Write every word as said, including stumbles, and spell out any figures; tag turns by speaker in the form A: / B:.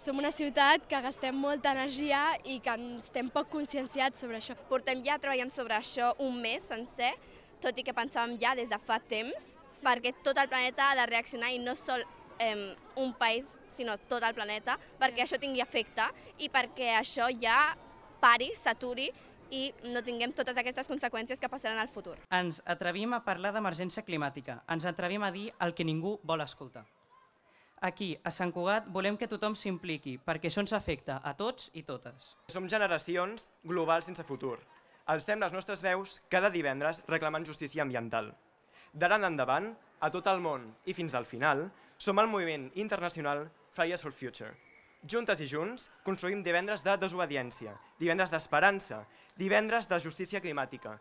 A: som una ciutat que gastem molta energia i que estem poc conscienciats sobre això.
B: Portem ja treballant sobre això un mes sencer, tot i que pensàvem ja des de fa temps, sí. perquè tot el planeta ha de reaccionar i no sol eh, un país, sinó tot el planeta, perquè sí. això tingui efecte i perquè això ja pari, s'aturi i no tinguem totes aquestes conseqüències que passaran al futur.
C: Ens atrevim a parlar d'emergència climàtica, ens atrevim a dir el que ningú vol escoltar. Aquí, a Sant Cugat, volem que tothom s'impliqui, perquè això ens afecta a tots i totes.
D: Som generacions globals sense futur. Alcem les nostres veus cada divendres reclamant justícia ambiental. D'ara en endavant, a tot el món i fins al final, som el moviment internacional Fridays for Future. Juntes i junts, construïm divendres de desobediència, divendres d'esperança, divendres de justícia climàtica.